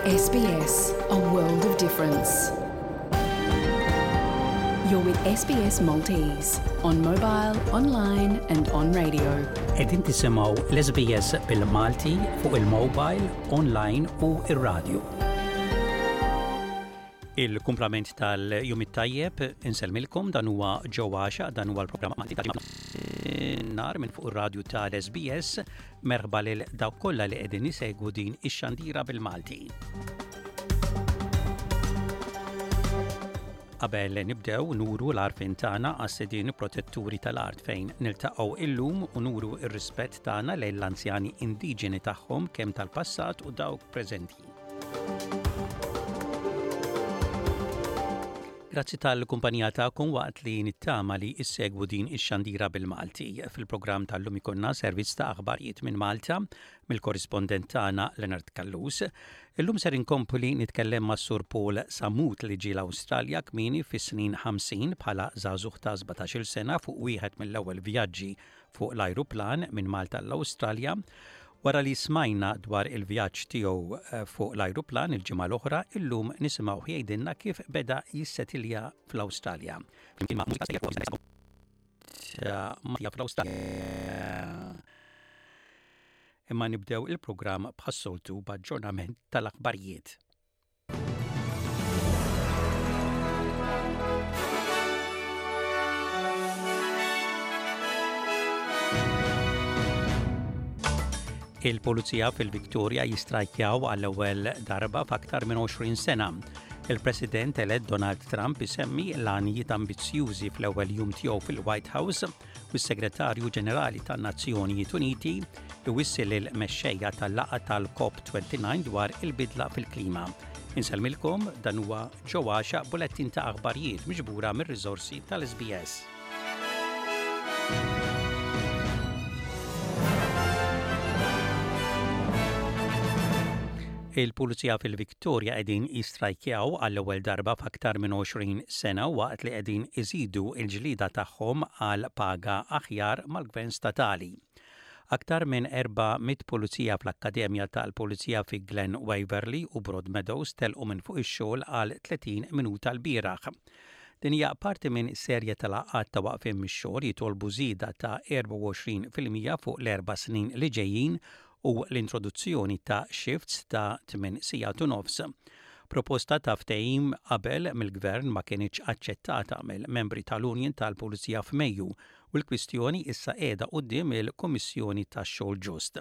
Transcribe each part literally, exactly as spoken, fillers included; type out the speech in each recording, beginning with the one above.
S B S, a world of difference. You're with S B S Maltese on mobile, online and on radio. Qegħdin tisimgħu l-S B S bil-Malti fuq il-mobile, online u ir-radio. Il-kumplament tal-jum it-tajjeb, insellmilkom, dan huwa Joe Axiaq, dan huwa l-programm Malti nar minn fuq ir-radju tal-S B S. Merħba lil dawk kollha li qegħdin isegwu din ix-xandira bil-Malti. Qabel nibdew, nuru l-għarfien tagħna għas-sidien protetturi tal-art fejn niltaqgħu illum u nuru r-rispett tagħna lejn l-anzjani indiġeni tagħhom, kemm tal-passat u dawk preżenti. Grazzi tal-kumpanija tagħkom waqt li nittama li issegwu din ix-xandira bil-Malti. Fil-programm tal-lum ikollna servizz ta' aħbarijiet minn Malta mill-korrispondent tagħna Leonard Callus. Illum ser inkompli nitkellem ma' Sur Paul Samut li ġie l-Awstralja kmieni fis-snin ħamsin bħala żagħżugħ ta' sbatax-il sena fuq wieħed mill-ewwel vjaġġi fuq l-ajruplan minn Malta l-Awstralja. Wara li smajna dwar il-vjaġġ tiegħu eh, fuq l-ajruplan il-ġimgħa l-oħra, illum nisimgħu jgħidilna kif beda jissetilja fl-Awstralja. Fl-Awstralja. Imma nibdew il-programm bħas-soltu b'aġġornament tal-aħbarijiet. Il-Pulizija fil-Victoria jistrajkjaw għall-ewwel darba f'aktar minn għoxrin sena. Il-President elett Donald Trump isemmi l-għanijiet ambizzjużi fl-ewwel jum tiegħu fil-White House u s-Segretarju Ġenerali tan-Nazzjonijiet Uniti iwissi lil mexxejja tal-laqgħa tal-COP disgħa u għoxrin dwar il-bidla fil-klima. Insellmilkom, dan huwa Joe Axiaq, bulettin ta' aħbarijiet miġbura mir-riżorsi tal-S B S. Il-Pulizija fil-Victoria qegħdin jistrajkjaw għall-ewwel darba f'aktar minn għoxrin sena waqt li qegħdin iżidu il-ġlida tagħhom għal paga aħjar mal-Gvern statali. Aktar minn erba' mitt pulizija fl-Akkademja tal-Pulizija fi Glen Waverley u Broadmeadows telqu minn fuq ix-xogħol għal tletin minuta l-bieraħ. Din hija parti minn serje tal-laqgħat ta' waqfien mix-xogħol jitolbu żieda ta' erbgħa u għoxrin fil-mija fuq l-erba' snin li ġejjin u l-introduzzjoni ta' shifts ta' tmien sigħat u nofs. Proposta ta' ftehim qabel mill-gvern ma kienx aċċettata mill-membri tal-Union tal-Pulizija f'Mejju u l-kwistjoni issa qiegħda quddiem il-Kummissjoni tax-Xogħol Ġust.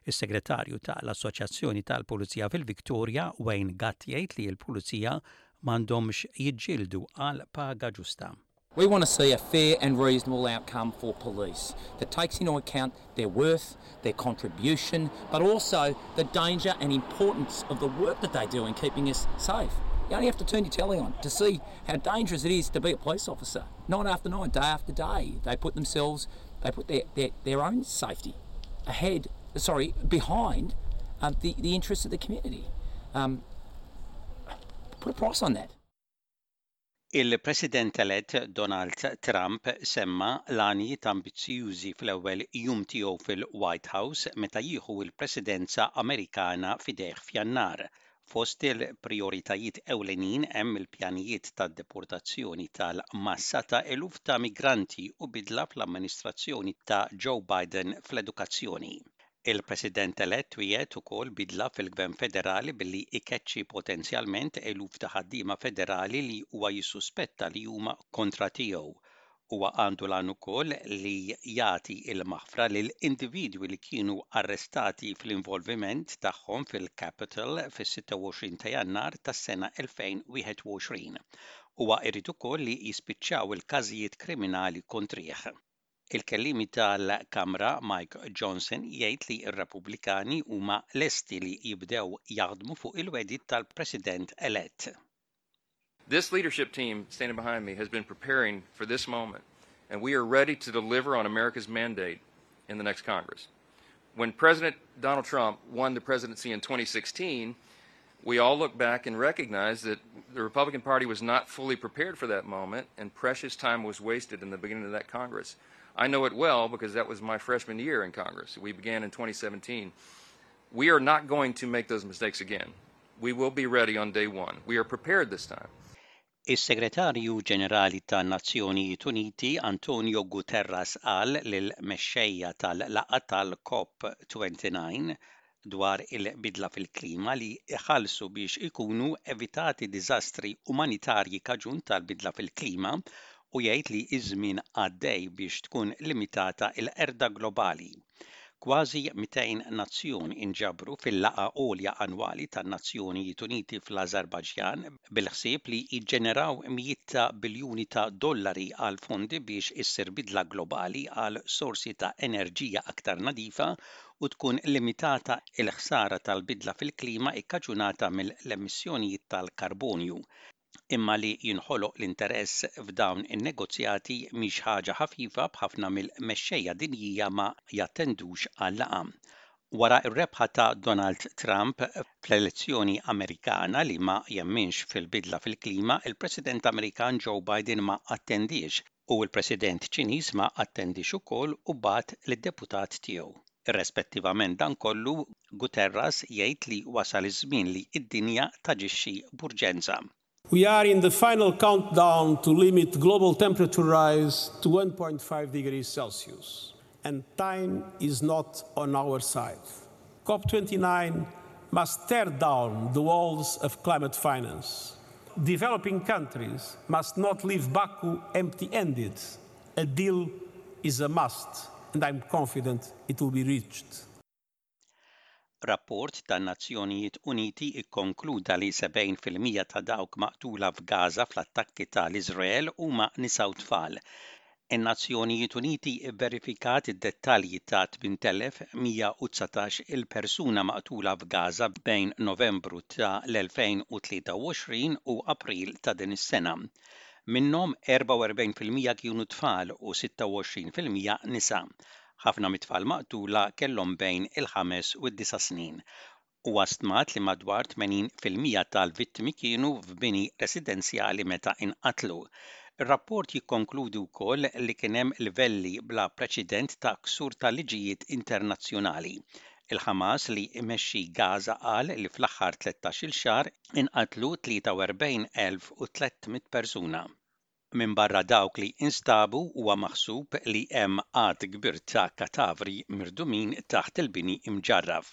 Is-segretarju tal-Assoċjazzjoni tal-Pulizija fil-Victoria, Wayne Gatt, jgħid li l-Pulizija m'għandhomx jiġġieldu għal paga ġusta. We want to see a fair and reasonable outcome for police that takes into account their worth, their contribution, but also the danger and importance of the work that they do in keeping us safe. You only have to turn your telly on to see how dangerous it is to be a police officer. Night after night, day after day, they put themselves, they put their, their, their own safety ahead, sorry, behind um, the, the interests of the community. Um, put a price on that. Il-President elett Donald Trump semma l-għanijiet ambizzjużi fl-ewwel jum tiegħu fil-White House meta jieħu l-Presidenza Amerikana f'idejh f'Jannar. Fost il-prioritajiet ewlenin hemm il-pjanijiet tad-deportazzjoni tal-massa ta' eluf ta' migranti u bidla fl-amministrazzjoni ta' Joe Biden fl-edukazzjoni. Il-President elett wiegħed ukoll bidla fil-Gvern Federali billi ikeċċi potenzjalment eluf ta' ħaddiema federali li huwa jissuspetta li huma kontra tiegħu. Huwa għandu l ukoll li jagħti il-maħfra lil individwi li kienu arrestati fl-involviment tagħhom fil-Capitol fis-sitta u għoxrin ta' Jannar tas-sena elfejn u wieħed u għoxrin. Huwa jrid ukoll li jispiċċaw il-każijiet kriminali kontrih. Il-kellimi tal-Kamra Mike Johnson jgħid li r-Repubblikani huma lesti li jibdew jaħdmu fuq il-wegħdiet tal-President elett. This leadership team standing behind me has been preparing for this moment, and we are ready to deliver on America's mandate in the next Congress. When President Donald Trump won the presidency in twenty sixteen, we all look back and recognize that the Republican Party was not fully prepared for that moment, and precious time was wasted in the beginning of that Congress. I know it well because that was my freshman year in Congress. We began in twenty seventeen. We are not going to make those mistakes again. We will be ready on day one. We are prepared this time. Is-Segretarju Ġenerali tan-Nazzjonijiet Uniti Antonio Guterres qal lill-mexxejja tal-laqgħa tal-COP twenty-nine dwar il-bidla fil-klima li jħallsu biex ikunu evitati diżastri umanitarji kaġun tal-bidla fil-klima u jgħid li iż-żmien għaddej biex tkun limitata l-qerda globali. Kważi mitejn nazzjon inġabru fil-laqgħa għolja annwali tan-Nazzjonijiet Uniti fl-Ażerbajġan bil-ħsieb li jiġġeneraw mijiet ta' biljuni ta' dollari għal fondi biex issir bidla globali għal sorsi ta' enerġija aktar nadifa u tkun limitata l-ħsara tal-bidla fil-klima ikkaġunata mill-emissjonijiet tal-karbonju. Imma li jinħoloq l-interess f'dawn in-negozjati mhix ħaġa ħafifa b'ħafna mill-mexxejja dinjija ma jattendux għal-laqgħa. Wara r-rebħa ta' Donald Trump fl-elezzjoni Amerikana li ma jemminx fil-bidla fil-klima, il-President Amerikan Joe Biden ma attendix u l-President Ċiniż ma attendix ukoll u bagħat lid-deputat tiegħu. Irrispettivament dan kollu, Guterres jgħid li wasal iż-żmien li d-dinja taġixxi b'urġenza. We are in the final countdown to limit global temperature rise to one point five degrees Celsius, and time is not on our side. COP twenty-nine must tear down the walls of climate finance. Developing countries must not leave Baku empty-handed. A deal is a must, and I'm confident it will be reached. Rapport tan-Nazzjonijiet Uniti ikkonkluda li sebgħin fil-mija ta' dawk maqtula f'Gaza fl-attakki tal-Iżrael huma nisa u tfal. In-Nazzjonijiet Uniti vverifikat id-dettalji ta' tmien elef mija u dsatax il-persuna maqtula f'Gaza bejn Novembru ta' l-elfejn u tlieta u għoxrin u April ta' din is-sena. Minnhom erbgħa u erbgħin fil-mija kienu tfal u sitta u għoxrin fil-mija nisa. Ħafna mit-tfal maqtula kellhom bejn il-ħames u d-disa' snin. Huwa stmat li madwar tmenin fil-mija tal-vittmi kienu f'bini residenzjali meta inqatlu. Ir-rapport jikkonkludi wkoll li kien hemm livelli bla preċedent ta' ksur tal-liġijiet internazzjonali. Il-Ħamas li imexxi Gaza qal li fl-aħħar tlettax-il xahar inqatlu tlieta u erbgħin elf u tliet mitt persuna. Minn barra dawk li instabu huwa maħsub li hemm għadd kbir ta' katavri mirdumin taħt il-bini imġarraf.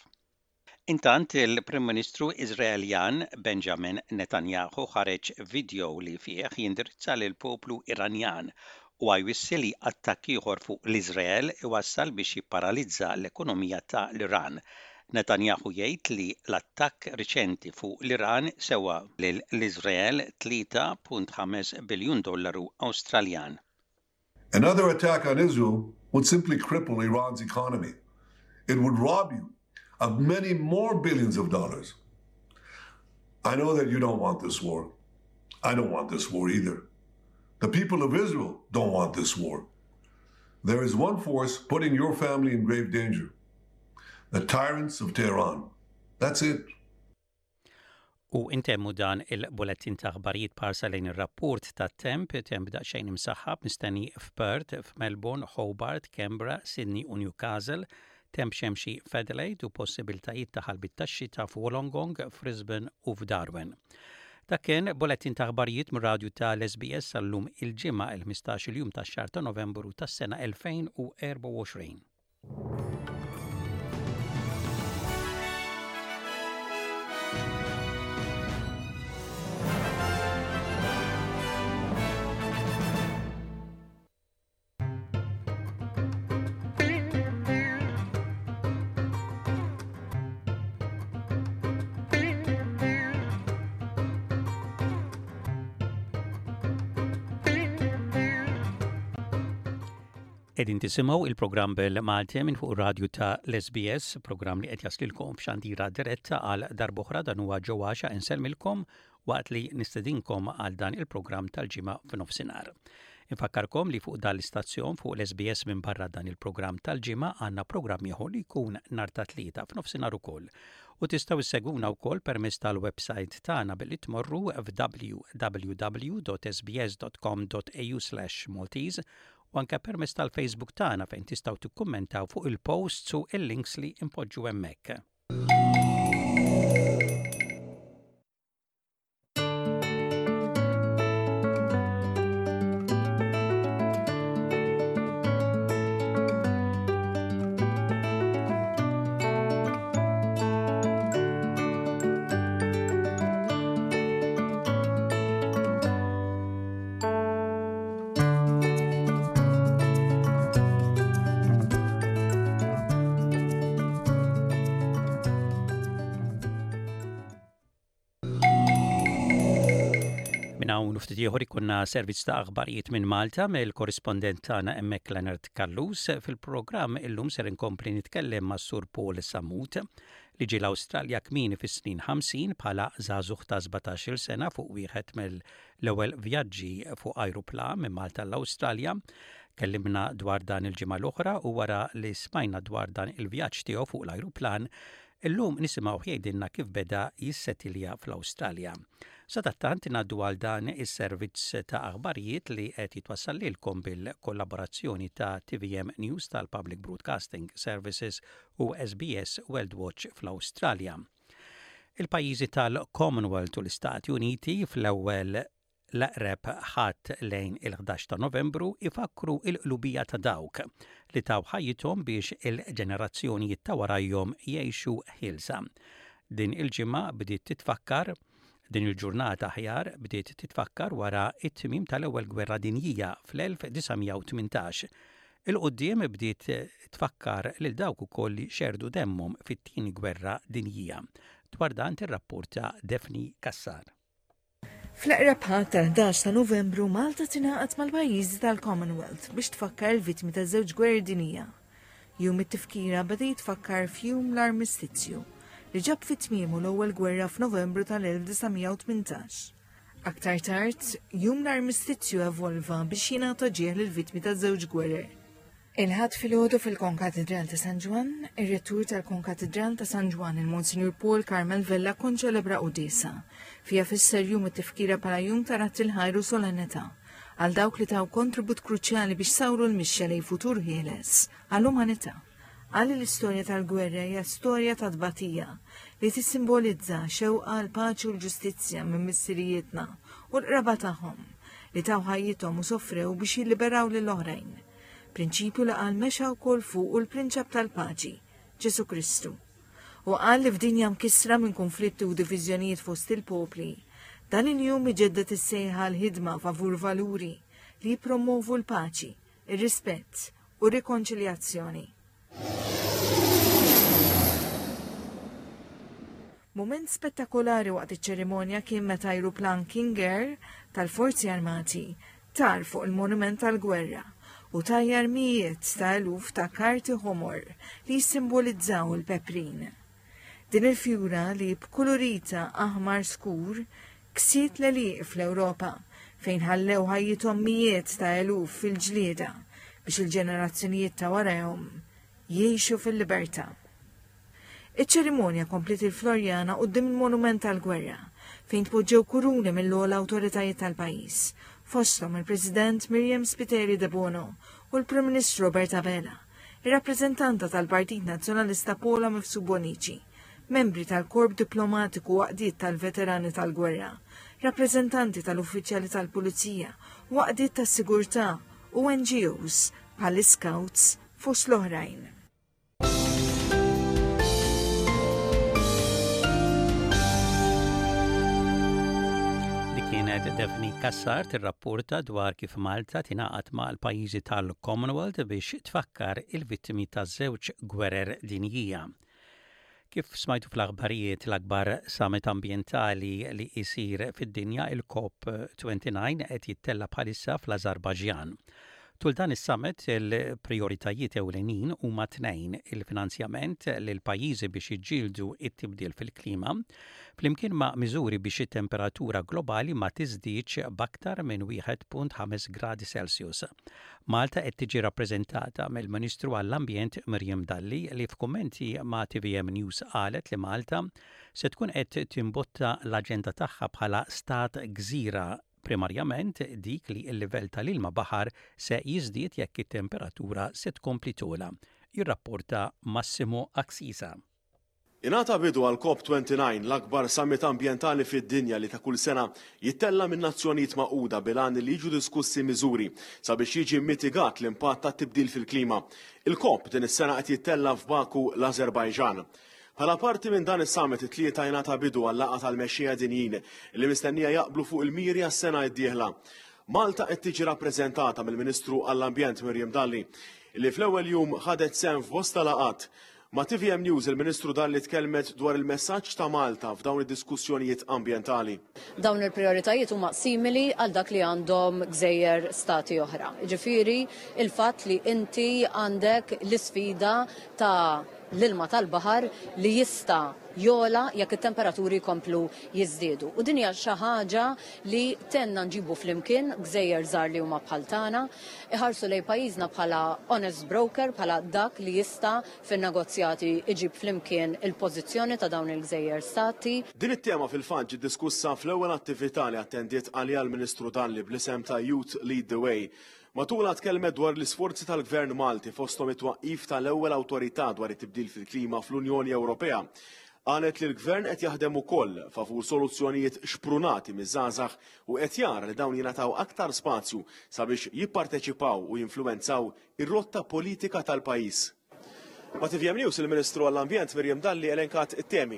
Intant il-Prim Ministru Iżraeljan Benjamin Netanyahu ħareġ video li fih jindirizza lil poplu Iranjan u jwissi li attakk ieħor fuq l-Iżrael iwassal biex jipparalizza l-ekonomija ta' l-Iran. Netanyahu jgħid li l-attakk riċenti fuq l-Iran sewa lil l-Iżrael tlieta punt ħames biljun dollaru Awstraljan. Another attack on Israel would simply cripple Iran's economy. It would rob you of many more billions of dollars. I know that you don't want this war. I don't want this war either. The people of Israel don't want this war. There is one force putting your family in grave danger. The tyrants of Tehran. That's it. U intemmu dan il-bulletin ta' aħbarijiet parsa lejn ir-rapport ta' temp, temp daqsxejn imsaħħab mistenni f'Perth, f'Melbourne, Hobart, Canberra, Sydney u Newcastle, temp xemxi f'Adelaide u possibiltajiet ta' ħalbit tax-xita f'Wollongong, f'Brisbane u f'Darwin. Dak kien bulletin ta' aħbarijiet mir-radju tal-S B S għallum il-ġimgħa il-ħmistax-il jum tax-xahar ta' Novembru tas-sena elfejn u erbgħa u għoxrin. Qegħdin tisimgħu il-programm bil-Malti minn fuq ir-radju ta' l-S B S, programm li qed jaslilkom f'xandira diretta għal darb'oħra. Dan huwa Joe Axiaq insellmilkom waqt li nistedinkom għal dan il-programm tal-ġimgħa f'nofsinhar. Infakkarkom li fuq dan l-istazzjon fuq l-S B S minn barra dan il-programm tal-ġimgħa għandna programm ieħor li jkun nhar ta' tlieta f'nofsinhar ukoll. U tistgħu issegwuna wkoll permezz tal-website tagħna billi tmorru f'w w w dot s b s dot com dot a u slash Maltese u anke permezz tal-Facebook tagħna fejn tistgħu tikkummentaw fuq il-posts u il-links li impoġġu hemmhekk. Minn hawn ftit ieħor ikollna servizz ta' aħbarijiet minn Malta mill-korrispondent tagħna hemmhekk Leonard Callus. Fil-programm illum ser inkompli nitkellem ma' Sur Paul Sammut li ġie l-Awstralja kmieni fis-snin ħamsin bħala żagħżugħ ta' sbatax-il sena fuq wieħed mill-ewwel vjaġġi fuq ajruplan minn Malta l-Awstralja. Kellimna dwar dan il-ġimgħa l-oħra u wara li smajna dwar dan il-vjaġġ tiegħu fuq l-ajruplan, illum nisimgħu jgħidilna kif beda jissetilja fl-Awstralja. Sadattant ngħaddu għal dan is-servizz ta' aħbarijiet li qed jitwassal lilkom bil-kollaborazzjoni ta' T V M News tal-Public Broadcasting Services u S B S World Watch fl-Awstralja. Il-pajjiżi tal-Commonwealth u l-Istati Uniti fl-ewwel l-eqreb Ħadd lejn il-ħdax ta' Novembru ifakru il-qlubija ta' dawk li taw ħajjithom biex il-ġenerazzjonijiet ta' warajhom jgħixu ħielsa. Din il-ġimgħa bdiet titfakkar Din il-ġurnata aħjar bdiet titfakkar wara it-tmim tal-Ewwel Gwerra Dinjija fl-elf disa' mija u tmintax. 'Il quddiem bdiet tfakkar lil dawk ukoll li xerdu demmhom fit-Tieni Gwerra Dinjija. Dwar dan tirrapporta Daphne Cassar. Fl-eqreb Ħadd tal-ħdax ta' Novembru, Malta tingħaqad mal-pajjiżi tal-Commonwealth biex tfakkar il-vittmi ta' żewġ gwerer dinjija. Jum it-tifkira beda jitfakkar f'jum l-armistizju li ġab fi tmiemu l-ewwel gwerra f'Novembru tal-elf disa' mija u tmintax. Aktar tard, jum l-armistizju evolva biex jingħata ġieħ lill-vittmi ta' żewġ gwerer. Il-Ħadd filgħodu fil-Konkatedral ta' San Ġwann, ir-rettur tal-Konkatedral ta' San Ġwann, il-Monsinjur Paul Carmel Vella, konċelebra quddiesa. Fiha fisser jum it-tifkira bħala jum ta' radd il-ħajr u solennità għal dawk li taw kontribut kruċjali biex sawru l-mixja lejn futur ħieles għall-umanità. Qal li l-istorja tal-gwerra hija storja ta' tbatija li tissimbolizza xewqa l-paċi u l-ġustizzja minn missirijietna u l-qraba tagħhom li taw ħajjithom u sofrew biex jilliberaw lil oħrajn. Prinċipju li qal mexa wkoll fuq u l-prinċep tal-paċi, Ġesu Kristu. U qal li f'dinja mkissra minn konflitti u diviżjonijiet fost il-popli, dan il-jum iġedded is-sejħa l-ħidma favur valuri li jipromovu l-paċi, ir-rispett u rikonċiljazzjoni. Moment spettakolari waqt iċ-ċerimonja kien meta ajruplan King Air tal-Forzi Armati tar fuq il-Monument tal-Gwerra u tajjar mijiet ta' eluf ta' karti ħomor li jissimbolizzaw il-peprin. Din il-fjura li b'kulurita aħmar skur ksiet l fl-Ewropa fejn ħallew ħajjithom mijiet ta' eluf fil-ġlieda biex il-ġenerazzjonijiet ta' warahom jgħixu fil-libertà. Iċ-ċerimonja kompliet il-Florjana quddiem il-Monument tal-Gwerra fejn tpoġġew kuruni mill-ogħla awtoritajiet tal-pajjiż, fosthom il-President Myriam Spiteri Debono u l-Prim Ministru Robert Abela, ir-rappreżentanta tal-Partit Nazzjonalista Paula Mifsud Bonici, membri tal-Korp Diplomatiku u għaqdiet tal-Veterani tal-Gwerra, rappreżentanti tal-Uffiċjali tal-Pulizija u għaqdiet tas-Sigurtà u N G Os bħall-Scouts fost l-oħrajn. Dik kienet Daphne Cassar tirrapporta dwar kif Malta tingħaqad mal-pajjiżi tal-Commonwealth biex tfakkar il-vittmi ta' żewġ gwerer dinjija. Kif smajtu fl-aħbarijiet, l-akbar summit ambientali li jisir fid-dinja, il-COP disgħa u għoxrin, qed jittella bħalissa fl-Azerbajġan. Tul dan is-summit il-prioritajiet ewlenin huma tnejn: il-finanzjament lil pajjiżi biex jiġġieldu it-tibdil fil-klima flimkien ma' miżuri biex it-temperatura globali ma tiżdiedx b'aktar minn wieħed punt ħames gradi Celsius. Malta qed tiġi rappreżentata mill-Ministru għall-Ambjent Miriam Dalli, li f'kummenti ma' T V M News qalet li Malta se tkun qed timbotta l-aġenda tagħha bħala stat gżira, primarjament dik li l-livell tal-ilma baħar se jiżdied jekk it-temperatura se tkompli togħla. Jirrapporta Massimo Aksisa. Ingħata bidu għal COP disgħa u għoxrin, l-akbar summit ambientali fid-dinja li ta' kull sena jittella minn Nazzjonijiet Magħquda bil-għan li jiġu diskussi miżuri sabiex jiġi mitigat l-impatt ta' tibdil fil-klima. Il-COP din is-sena qed jittella f'Baku, l-Azerbajġan. Bħala parti minn dan is-summit, it-Tlieta jingħata bidu għal laqgħa tal-mexxejja dinjin li mistennija jaqblu fuq il-miri għas-sena d-dieħla. Malta qed tiġi rappreżentata mill-Ministru għall-Ambjent Miriam Dalli, li fl-ewwel jum ħadet sehem f'bosta laqgħat. Ma' T V M News, il-Ministru Dalli tkellmet dwar il-messaġġ ta' Malta f'dawn id-diskussjonijiet ambjentali. Dawn il-prioritajiet huma simili għal dak li għandhom gżejjer stati oħra. Ġifieri il-fatt li inti għandek l-isfida ta' l-ilma tal-baħar li jista' jogħla jekk it-temperaturi jkomplu jiżdiedu. U din hija xi ħaġa li tenna nġibu flimkien gżejjer żgħar li huma bħal tagħna, iħarsu lejn pajjiżna bħala honest broker, bħala dak li jista' fin-negozjati iġib flimkien il-pożizzjoni ta' dawn il-gżejjer stati. Din it-tema fil-fatt ġiet diskussa fl-ewwel attività li attendiet għaliha l-Ministru Dalli bl-isem ta' Youth Lead the Way. Matula tkellmet dwar l-isforzi tal-Gvern Malti, fosthom it-twaqqif tal-ewwel awtorità dwar it-tibdil fil-klima fl-Unjoni Ewropea. Qalet li l-Gvern qed jaħdem ukoll favur soluzzjonijiet xprunati miż-żgħażagħ u qed jara li dawn jingħataw aktar spazju sabiex jipparteċipaw u jinfluwenzaw ir-rotta politika tal-pajjiż. Ma' T V M News, il-Ministru għall-Ambjent Miriam Dalli elenkat it-temi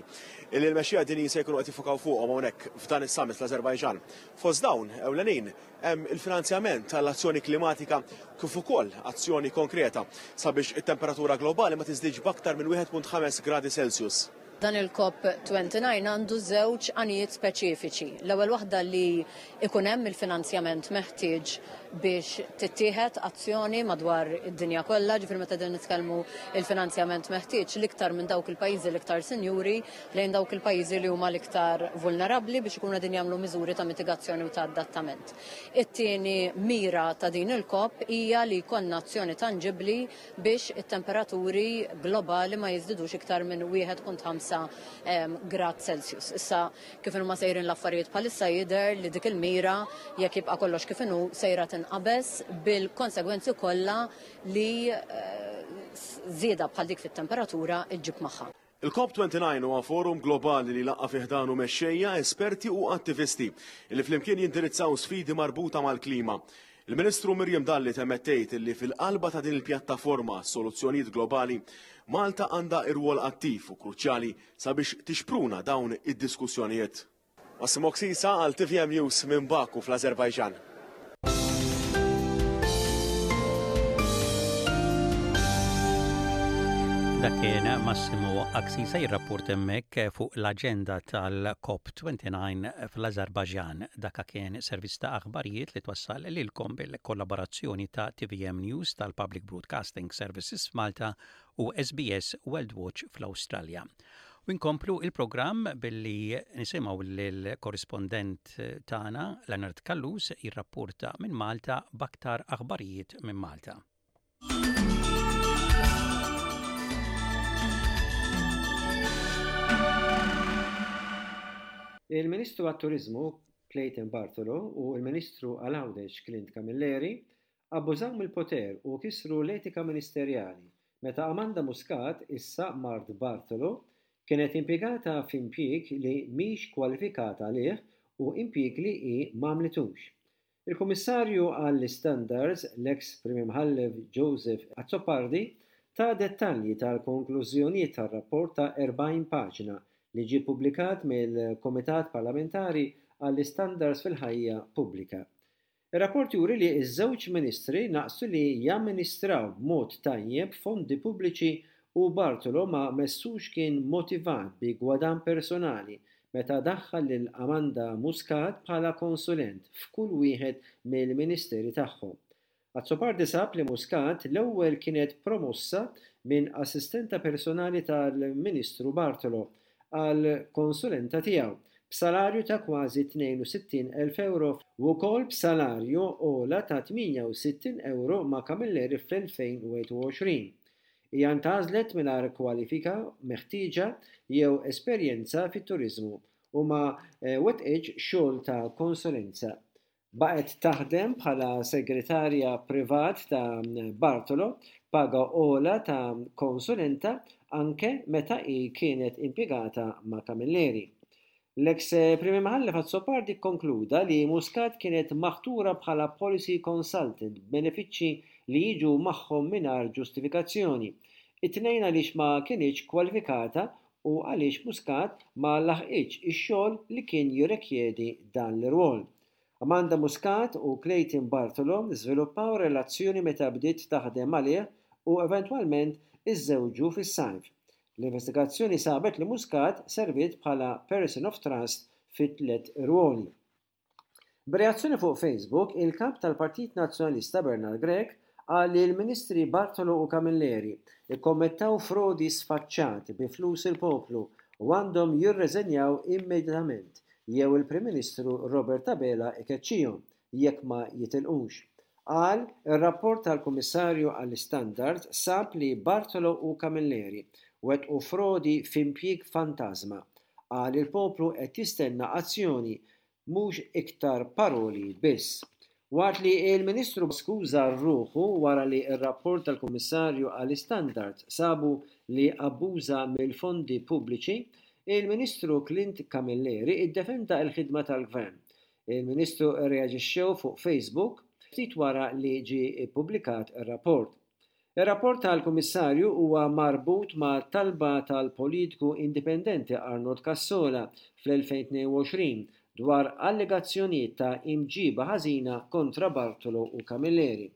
li l-mexxejja dinjin se jkunu qed jiffukaw fuqhom hawnhekk f'dan is-summit fl-Azerbajġan. Fost dawn ewlenin hemm il-finanzjament tal-azzjoni klimatika kif ukoll azzjoni konkreta sabiex it-temperatura globali ma tiżdiedx b'aktar minn wieħed punt ħames gradi Celsius. Dan il-COP disgħa u għoxrin għandu żewġ għanijiet speċifiċi. L-ewwel waħda li ikun hemm il-finanzjament meħtieġ biex tittieħed azzjoni madwar id-dinja kollha, ġifieri meta din nitkellmu il-finanzjament meħtieġ l-iktar minn dawk il-pajjiżi l-iktar sinjuri lejn dawk il-pajjiżi li huma l-iktar vulnerabbli biex ikunu qegħdin jagħmlu miżuri ta' mitigazzjoni u ta' adattament. It-tieni mira ta' din il-COP hija li jkollna azzjoni tanġibbli biex it-temperaturi globali ma jiżdidux iktar minn wieħed punt ħamsa grad Celsius. Issa, kif huma sejrin l-affarijiet bħalissa, jidher li dik il-mira, jekk jibqa' kollox kif inhu, sejra tinqabeż bil-konsegwenzi kollha li żieda bħal dik fit-temperatura iġġib magħha. Il-COP disgħa u għoxrin huwa forum globali li laqqa' fi ħdanu mexxejja, esperti u attivisti li flimkien jindirizzaw sfidi marbuta mal-klima. Il-Ministru Miriam Dalli temmet tgħid li fil-qalba ta' din il-pjattaforma soluzzjonijiet globali, Malta għandha irwol attiv u kruċjali sabiex tixpruna dawn id-diskussjonijiet. Massimo Ksisa għal T V M News minn Baku fl-Azerbajġan. Dak kien Massimo Aksisa jirrapport hemmhekk fuq l-aġenda tal-COP disgħa u għoxrin fl-Azerbajġan. Dak kien servizz ta' aħbarijiet li twassal lilkom bil-kollaborazzjoni ta' T V M News tal-Public Broadcasting Services Malta u S B S World Watch fl-Awstralja. U nkomplu il-programm billi nisimgħu lill-korrispondent tagħna Leonard Callus jirrapporta minn Malta b'aktar aħbarijiet minn Malta. Il-Ministru għat-Turizmu Clayton Bartolo u il-Ministru għal Għawdex Clint Camilleri abbużaw mill-poter u kisru l-etika ministerjali meta Amanda Muscat, issa mart Bartolo, kienet impjegata f'impjieg li mhix kwalifikata għalih u impjieg li hi m'għamlitux. Il-Kummissarju għall-Standards, l-ex Prim Imħallef Joseph Azzopardi, ta dettalji tal-konklużjonijiet tar-rapport ta' erbgħin paġna li ġie ppubblikat mill-Komitat Parlamentari għall-Istandards fil-Ħajja Pubblika. Ir-rapport juri li ż-żewġ ministri naqsu li jamministraw b'mod tajjeb fondi pubbliċi u Bartolo ma messux kien motivat bi gwadann personali meta daħħal lil Amanda Muscat bħala konsulent f'kull wieħed mill-ministeri tagħhom. Azzopardi sab li Muscat l-ewwel kienet promossa minn assistenta personali tal-Ministru Bartolo għal konsulenta tiegħu b'salarju ta' kważi tnejn u sittin elf euro u wkoll b'salarju ogħla ta' tmienja u sittin euro ma' Camilleri fl-elfejn u wieħed u għoxrin. Hija ntgħażlet mingħajr kwalifika meħtieġa jew esperjenza fit-turiżmu u ma eh, wettqitx xogħol ta' konsulenza. Baqgħet taħdem bħala segretarja privat ta' Bartolo paga ogħla ta' konsulenta anke meta hi kienet impjegata ma' Camilleri. L-ex Prim Imħallef Azzopardi konkluda li Muscat kienet maħtura bħala policy consultant b'benefiċċji li jiġu magħhom mingħajr ġustifikazzjoni. It-tnejn għaliex ma kinitx kwalifikata u għaliex Muscat ma laħqitx ix-xogħol li kien jirrikjedi dan l-irwol. Amanda Muscat u Clayton Bartolo żviluppaw relazzjoni meta bdiet taħdem għalih u eventwalment iżżewġu fis-sajf. L-investigazzjoni sabet li Muscat serviet bħala person of trust fi tliet irwoli. B'reazzjoni fuq Facebook, il-kap tal-Partit Nazzjonalista Bernard Grech qal li l-Ministri Bartolo u Camilleri ikkommettaw frodi sfaċċat bi flus il-poplu u għandhom jirreżenjaw immedjatament jew il-Prim Ministru Robert Abela ikeċċihom jekk ma jitilqux. Qal ir-rapport tal-Kummissarju għall-Istandards sab li Bartolo u Camilleri wettqu frodi f'impjieg fantażma. Qal il-poplu qed jistenna azzjoni, mhux iktar paroli biss. Waqt li l-Ministru skuża ruħu wara li r-rapport tal-Kummissarju għall-Istandards sabu li abbuża mill-fondi pubbliċi, il-Ministru Clint Camilleri iddefenda l-ħidma tal-Gvern. Il-Ministru rreaġixxew fuq Facebook ftit wara li ġie ppubblikat ir-rapport. Ir-rapport tal-Kummissarju huwa marbut ma' talba tal-politiku indipendenti Arnold Cassola fl-elfejn tnejn u għoxrin dwar allegazzjonijiet ta' imġiba ħażina kontra Bartolo u Camilleri.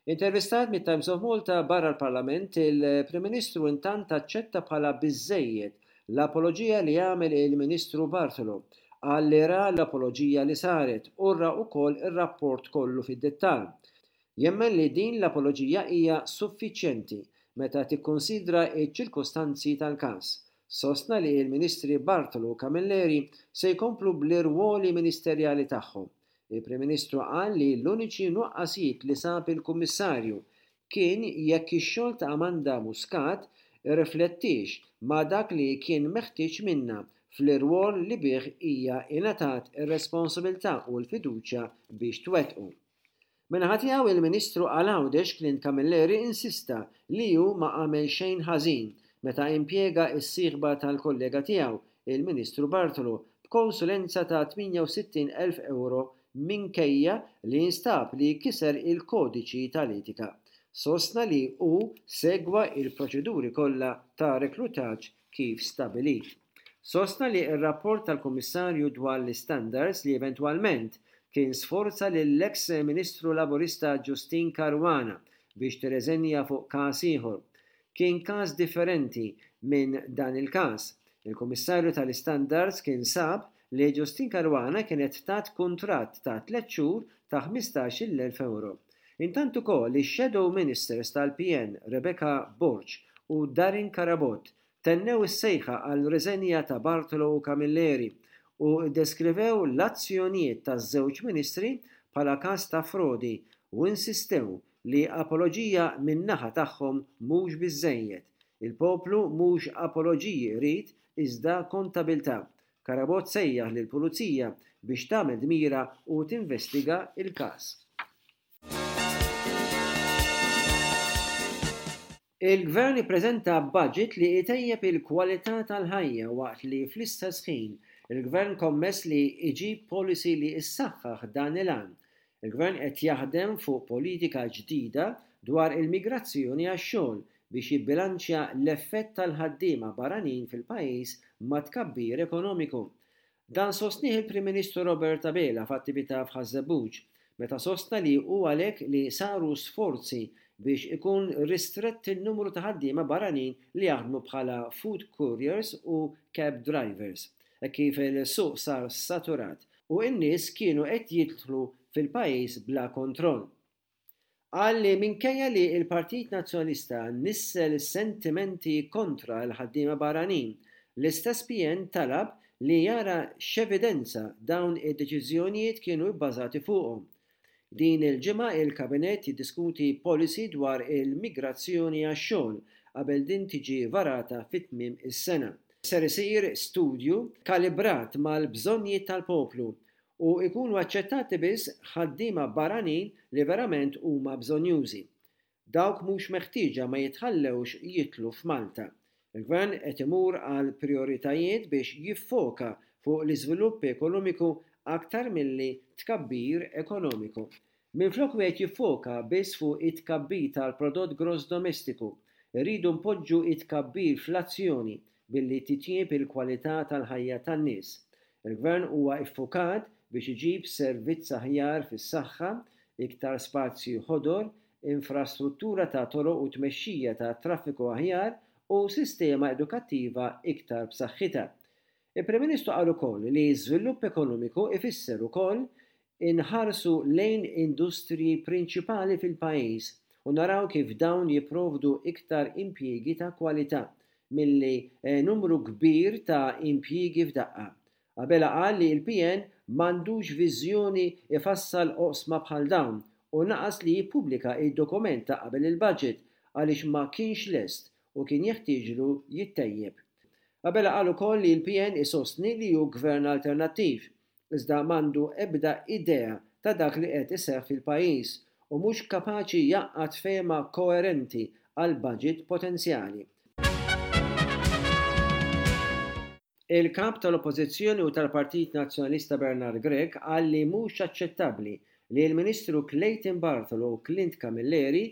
Intervistat mit-Times of Malta barra l-Parlament, il-Prim Ministru intant aċċetta bħala biżżejjed l-apoloġija li għamel il-Ministru Bartolo. Qal li ra l-apoloġija li saret u ra wkoll ir-rapport kollu fid-dettall. Jemmen li din l-apoloġija hija suffiċjenti meta tikkonsidra ċ-ċirkostanzi tal-każ. Sostna li l-Ministri Bartolo u Camilleri se jkomplu bl-irwoli ministerjali tagħhom. Il-Prim Ministru qal li l-uniċi nuqqasijiet li sab il-Kummissarju kien jekk ix-xogħol ta' Amanda Muscat irriflettix ma' dak li kien meħtieġ minnha fl-irwol li bih hija ingħatat ir-responsabilità u l-fiduċja biex twettqu. Min-naħa tiegħu il-Ministru għal Għawdex Clint Camilleri insista li hu ma għamel xejn ħażin meta impjega s-sieħba tal-kollega tiegħu, il-Ministru Bartolo, b'konsulenza ta' tmienja u sittin elf euro minkejja li jinstab li kiser il-kodiċi tal-etika. Sostna li hu segwa il-proċeduri kollha ta' reklutaġġ kif stabilit. Sostna li r-rapport tal-Kummissarju dwar l-istandards li eventwalment kien sforza lill-ex Ministru Laburista Justyne Caruana biex tirreżenja fuq każ ieħor. Kien każ differenti minn dan il-każ. Il-Kummissarju tal-Istandards kien sab li Justyne Caruana kienet tat kuntratt ta' tliet xhur ta' ħmistax-il elf euro. Intant ukoll ix-Shadow Ministers tal-P N Rebecca Borg u Darren Carabott tennew is-sejħa għal reżenja ta' Bartolo u Camilleri u deskrivew l-azzjonijiet taż-żewġ ministri bħala każ ta' frodi u insistew li apoloġija min-naħa tagħhom mhux biżżejjed. Il-poplu mhux apoloġiji jrid iżda kontabilità. Carabott sejjaħ lill-pulizija biex tagħmel dmira u tinvestiga il-każ. Il-Gvern ippreżenta budget li jtejjeb il-kwalità tal-ħajja waqt li fl-istess ħin il-Gvern kommess li jġib policy li issaħħaħ dan il-għan. Il-Gvern qed jaħdem fuq politika ġdida dwar il-migrazzjoni għax-xogħol biex jibbilanċja l-effett tal-ħaddiema barranin fil-pajjiż ma' tkabbir ekonomiku. Dan sostnieh il-Prim Ministru Robert Abela f'attività f'Ħaż-Żebbuġ, meta sostna li hu għalhekk li saru sforzi biex ikun ristrett il-numru ta' ħaddiema barranin li jaħdmu bħala food couriers u cab drivers, e kif il-suq sar saturat u n-nies kienu qed jidħlu fil-pajjiż bla kontroll. Qal li minkejja li l-Partit Nazzjonalista nissel sentimenti kontra l-ħaddiema barranin, l-istess P N talab li jara x'evidenza dawn id-deċiżjonijiet kienu bbażati fuqhom. Din il-ġimgħa il-Kabinett jiddiskuti policy dwar il-migrazzjoni għax-xogħol qabel din tiġi varata fit-tmiem is-sena. Ser isir studju kalibrat mal-bżonnijiet tal-poplu u jkunu aċċettati biss ħaddiema barranin li verament huma bżonnjużi. Dawk mhux meħtieġa ma jitħallewx jitlu f'Malta. Il-Gvern qed imur għal prioritajiet biex jiffoka fuq l-iżvilupp ekonomiku aktar milli tkabbir ekonomiku. Minflok wieħed jiffoka biss fuq it-tkabbir tal-prodott gross domestiku, irridu npoġġu it-tkabbir fl-azzjoni billi titjieb il-kwalità tal-ħajja tan-nies. Il-Gvern huwa iffukat biex iġib servizz aħjar fis-saħħa, iktar spazju ħodor, infrastruttura ta' toroq u tmexxija ta' traffiku aħjar u sistema edukattiva iktar b'saħħitha. Il-Prim Ministru qal ukoll li żvilupp ekonomiku ifisser ukoll inħarsu lejn industriji prinċipali fil-pajjiż u naraw kif dawn jipprovdu iktar impjiegi ta' kwalità milli eh, numru kbir ta' impjiegi f'daqqa. Abela qal li l-P N m'għandux viżjoni ifassal oqsma bħal dawn u naqas li jippubblika id-dokument ta' qabel il-budget għaliex ma kienx lest u kien jeħtieġlu jittejjeb. Abela qal ukoll li l-P N isostni li hu gvern alternattiv, iżda m'għandu ebda idea ta' dak li qed iseħħ fil-pajjiż u mhux kapaċi jgħaqqad fehma koerenti għal budget potenzjali. Il-kap tal-Oppożizzjoni u tal-Partit Nazzjonalista Bernard Grech qal li mhux aċċettabbli li l-Ministru Clayton Bartolo u Clint Camilleri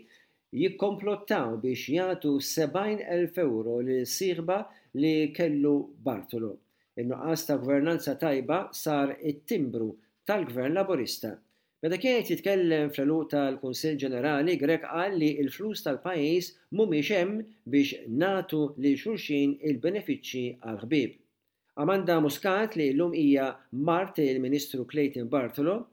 jikkomplottaw biex jagħtu sebgħin elf euro lil sieħba li kellu Bartolo. In-nuqqas ta' gvernanza tajba sar it-timbru tal-Gvern Laburista. Meta kien qed jitkellem fl-għeluq tal-Kunsill Ġenerali, Grech qal li l-flus tal-pajjiż mhumiex hemm biex nagħtu lil xulxin il-benefiċċji għal ħbieb. Amanda Muscat, li llum hija mart il-Ministru Clayton Bartolo,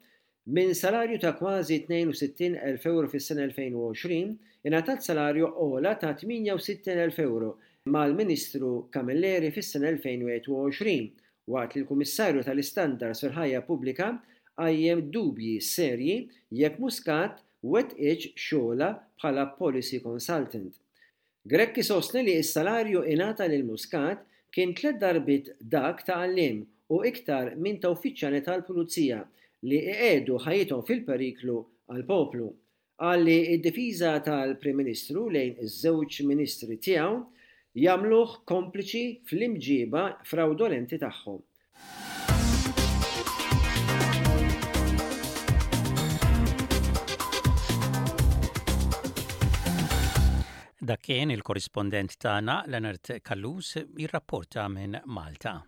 minn salarju ta' kważi tnejn u sittin elf euro fis-sena elfejn u għoxrin, ingħatat salarju ogħla ta' tmienja u sittin elf euro mal-Ministru Camilleri fis-sena elfejn u wieħed u għoxrin, waqt li l-Kummissarju tal-Istandards fil-Ħajja Pubblika qajjem dubji serji jekk Muscat wettqitx xogħla bħala policy consultant. Grech sostni li s-salarju ingħata lil Muscat kien tliet darbiet dak ta' għalliem u iktar minn ta' uffiċjali tal-Pulizija li iqiegħdu ħajjithom fil-periklu għal-poplu. Qal li id-difiża tal-Prim Ministru lejn iż-żewġ ministri tiegħu jagħmluh kompliċi fl-imġiba fraudolenti tagħhom. Dak kien il-korrispondent tagħna Leonard Callus jirrapporta minn Malta.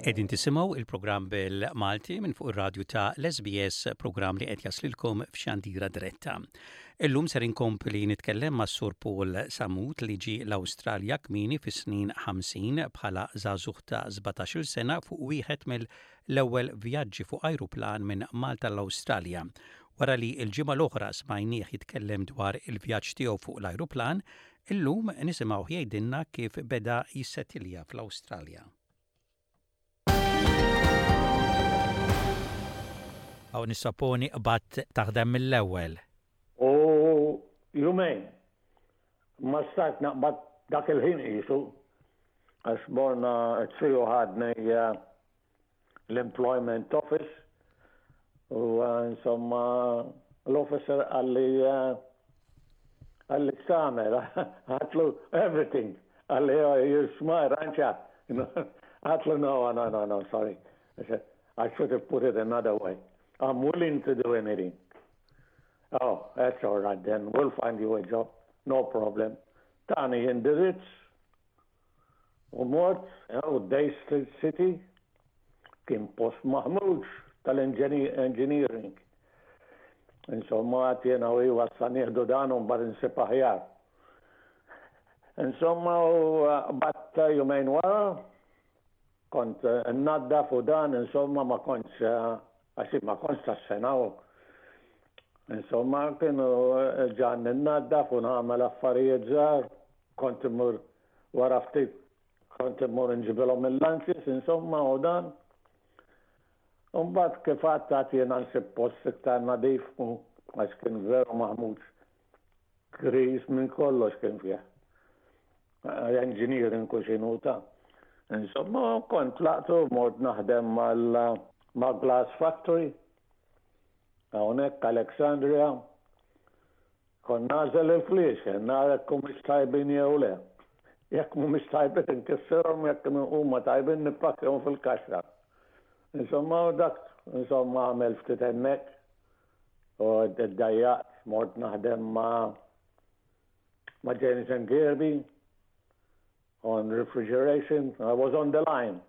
Qegħdin tisimgħu il-programm bil-Malti minn fuq ir-radju ta' l-S B S, programm li qed jaslilkom f'xandira diretta. Illum ser inkompli nitkellem ma' Sur Paul Samut, li ġi l-Awstralja kmieni fis-snin ħamsin bħala żagħżugħ ta' sbatax-il sena fuq wieħed mill-ewwel vjaġġi fuq ajruplan minn Malta l-Awstralja. Wara li l-ġimgħa l-oħra smajnieh jitkellem dwar il-vjaġġ tiegħu fuq l-ajruplan, illum nisimgħu jgħidilna kif beda jissetilja fl-Awstralja. Aw nissaponi qbadt taħdem mill-ewwel. U jumejn, ma stajt naqbad dak il-ħin qisu, għax morna t-triju, ħadni l-employment office u insomma l-officer qalli qalli "X'tagħmel?" Għedtlu, "Everything." Qalli, "Oh, you're smart, aren't you?" Għedtlu, "No, no, no, no, sorry." I said, "I should have put it another way. I'm willing to do anything." "Oh, that's all right then. We'll find you a job. No problem." Tani indirizz u mort u Day Street City, kien post maħmuġ tal-engineering. Insomma, għedt jiena u issa nieħdu dan u mbagħad insib aħjar. Insomma, u bat jumejn wara, kont naddaf u dan, insomma, ma kontx, għax ma kontx tas-sena u. Insomma, kienu ġan naddaf u nagħmel affarijiet żgħar, kont immur wara ftit, kont immur nġibilhom il-lunches, insomma, u dan. Umbagħad kif għedt jiena nsib post iktar nadif u għax kien veru maħmuġ. Grease minn kollox kien fih. Engineering kuxinu ta'. Insomma, kont tlaqtu mort naħdem mal Glass Factory, hawnhekk Alexandria. Kont nagħżel il-fliexken, nara jekk humiex tajbin jew le. Jekk mhumiex tajbin inkissirhom, jekk huma tajbin nippakkjahom fil-kaxxa. Insomma, dak, insomma, għamel ftit hemmhekk u ddejjaqt, mort naħdem ma' ma' James and Kirby on refrigeration. I was on the line,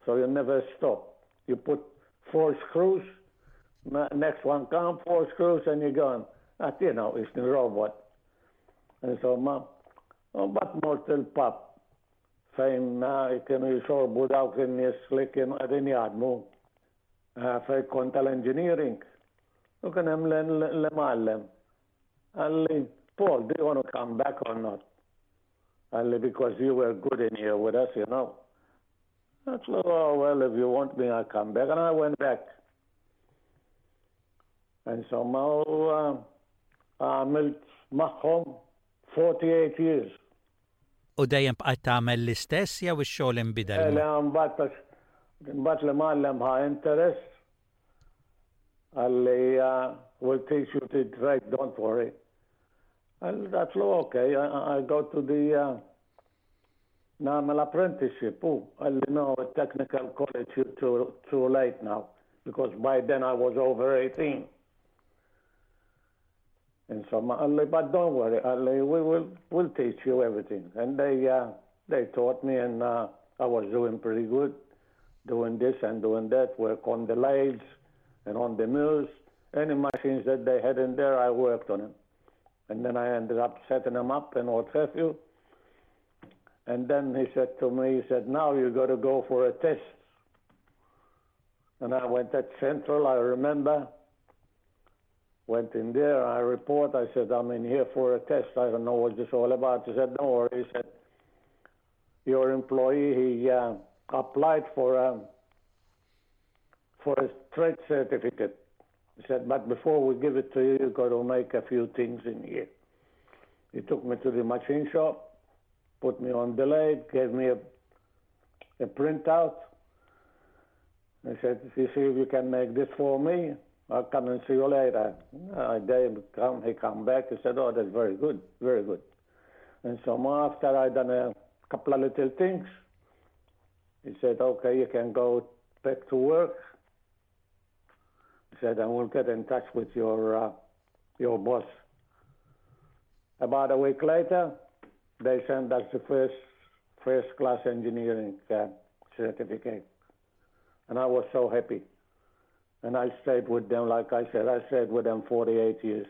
so you never stop. You put four screws, next one come, four screws, and you're gone. That, you know, it's the robot. Insomma, u mbagħad mort il-pub fejn eh, kienu jixorbu dawk in-nies li kienu qegħdin jaħdmu eh, fejn kont tal-engineering. U kien hemm l-imgħallem. Qalli, Paul, do you want to come back or not? Qalli, because you were good in here with us, you know. I said, oh, well, if you want me, I'll come back. And I went back. Insomma, u uh, għamilt magħhom forty-eight years. U dejjem bqajt tagħmel l-istess jew ix-xogħol inbidel? Le, mbagħad mbagħad l-imgħallem ħa interest. Qalli, uh, we'll teach you to trade, don't worry. And that's okay, I, I go to the uh, nagħmel apprenticeship. U qalli, no, technical college, you're too, too late now, because by then I was over eighteen. Insomma, qalli, but don't worry, qalli, we will we'll teach you everything. And they uh, they taught me, and uh, I was doing pretty good, doing this and doing that, work on the lathes and on the mills. Any machines that they had in there, I worked on them. And then I ended up setting them up and what have you. And then he said to me, he said, now you got to go for a test. And I went at Central, I remember. Went in there, I report, I said, I'm in here for a test. I don't know what this all about. He said, don't worry. He said, your employee, he uh, applied for a, for a trade certificate. He said, but before we give it to you, you got to make a few things in here. He took me to the machine shop, put me on the lathe, gave me a, a printout. He said, you see if you can make this for me, I'll come and see you later. I they come, he come back, he said, oh, that's very good, very good. And so after I done a couple of little things, he said, okay, you can go back to work. He said, and we'll get in touch with your, uh, your boss. About a week later, they sent us the first first class engineering uh, certificate. And I was so happy. And I stayed with them, like I said, I stayed with them forty-eight years.